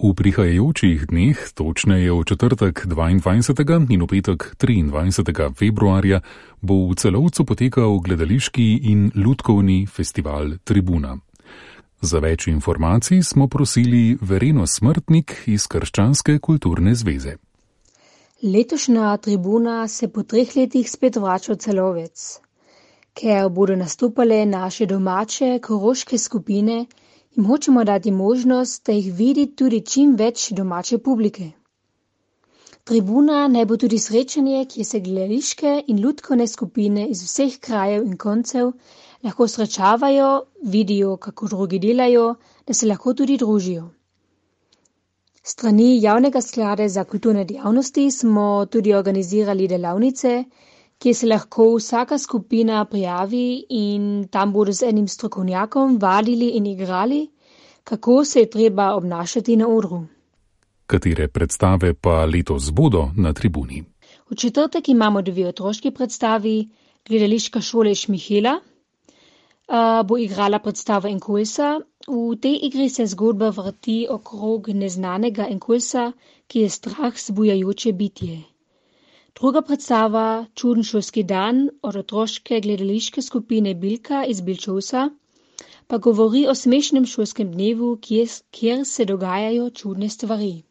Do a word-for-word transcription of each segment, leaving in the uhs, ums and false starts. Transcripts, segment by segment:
V prihajajočih dneh, točneje v četrtek dvaindvajsetega in v petek triindvajsetega februarja, bo v Celovcu potekal gledališki in lutkovni festival Tribuna. Za več informacij smo prosili Vereno Smrtnik iz Krščanske kulturne zveze. Letošnja Tribuna se po treh letih spet vrača v Celovec. Ker bodo nastopale naše domače koroške skupine, jim hočemo dati možnost, da jih vidi tudi čim več domače publike. Tribuna naj bo tudi srečanje, kjer se gledališke in lutkovne skupine iz vseh krajev in koncev lahko srečavajo, vidijo, kako drugi delajo, da se lahko tudi družijo. Strani Javnega sklada za kulturne dejavnosti smo tudi organizirali delavnice, kjer se lahko vsaka skupina prijavi in tam bodo z enim strokovnjakom vadili in igrali, kako se je treba obnašati na odru. Katere predstave pa letos bodo na Tribuni? V četrtek imamo dve otroški predstavi. Gledališka šola Šmihela uh, bo igrala predstavo Enkolsa. V tej igri se zgodba vrti okrog neznanega Enkolsa, ki je strah zbujajoče bitje. Druga predstava, Čuden šolski dan, od otroške gledališke skupine Bilka iz Bilčovca, pa govori o smešnem šolskem dnevu, kjer, kjer se dogajajo čudne stvari.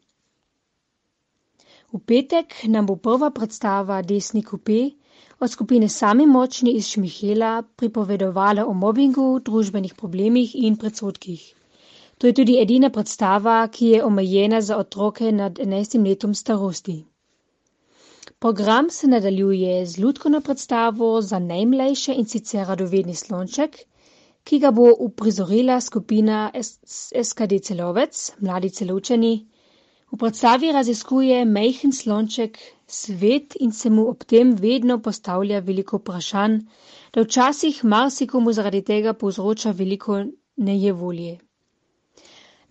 V petek nam bo prva predstava Desni kupe od skupine Sami močni iz Šmihela pripovedovala o mobingu, družbenih problemih in predsodkih. To je tudi edina predstava, ki je omejena za otroke nad enajstim letom starosti. Program se nadaljuje z lutkovno predstavo za najmlajše in sicer Radovedni slonček, ki ga bo uprizorila skupina S K D Celovec, Mladi Celovčani. V predstavi raziskuje majhen slonček svet in se mu ob tem vedno postavlja veliko vprašanj, da včasih marsikomu zaradi tega povzroča veliko nejevolje.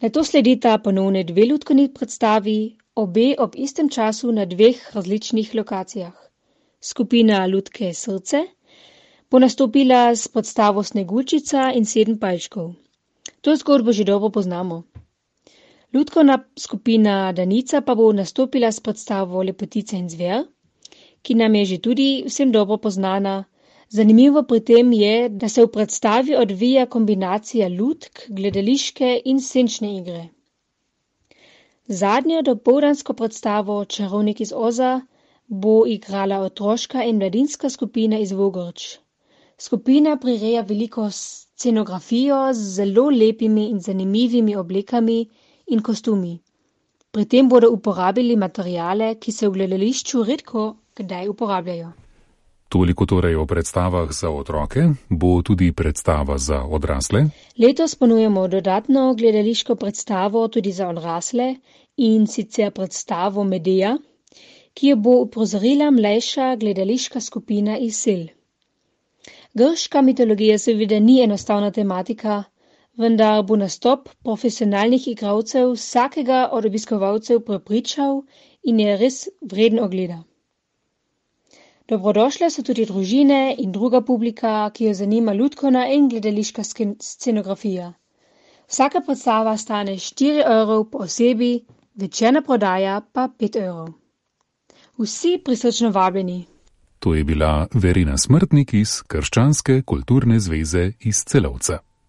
Nato sledita ponovne dve lutkovni predstavi, obe ob istem času na dveh različnih lokacijah. Skupina Lutke Srce bo nastopila s predstavo Sneguljčica in sedem palčkov. To zgodbo že dobro poznamo. Lutkovna skupina Danica pa bo nastopila s predstavo Lepotica in zver, ki nam je že tudi vsem dobro poznana. Zanimivo pri tem je, da se v predstavi odvija kombinacija lutk, gledališke in senčne igre. Zadnjo dopoldansko predstavo Čarovnik iz Oza bo igrala otroška in mladinska skupina iz Vogrč. Skupina prireja veliko scenografijo z zelo lepimi in zanimivimi oblekami in kostumi. Pri tem bodo uporabili materijale, ki se v gledališču redko kdaj uporabljajo. Toliko torej o predstavah za otroke, bo tudi predstava za odrasle. Letos ponujemo dodatno gledališko predstavo tudi za odrasle in sicer predstavo Medea, ki jo bo uprizorila mlajša gledališka skupina iz Sel. Grška mitologija seveda ni enostavna tematika, vendar bo nastop profesionalnih igralcev vsakega od obiskovalcev prepričal in je res vreden ogleda. Dobrodošle so tudi družine in druga publika, ki jo zanima lutkovna in gledališka scenografija. Vsaka predstava stane štiri evrov po osebi, večerna prodaja pa pet evrov. Vsi prisrčno vabljeni. To je bila Verena Smrtnik iz Krščanske kulturne zveze iz Celovca.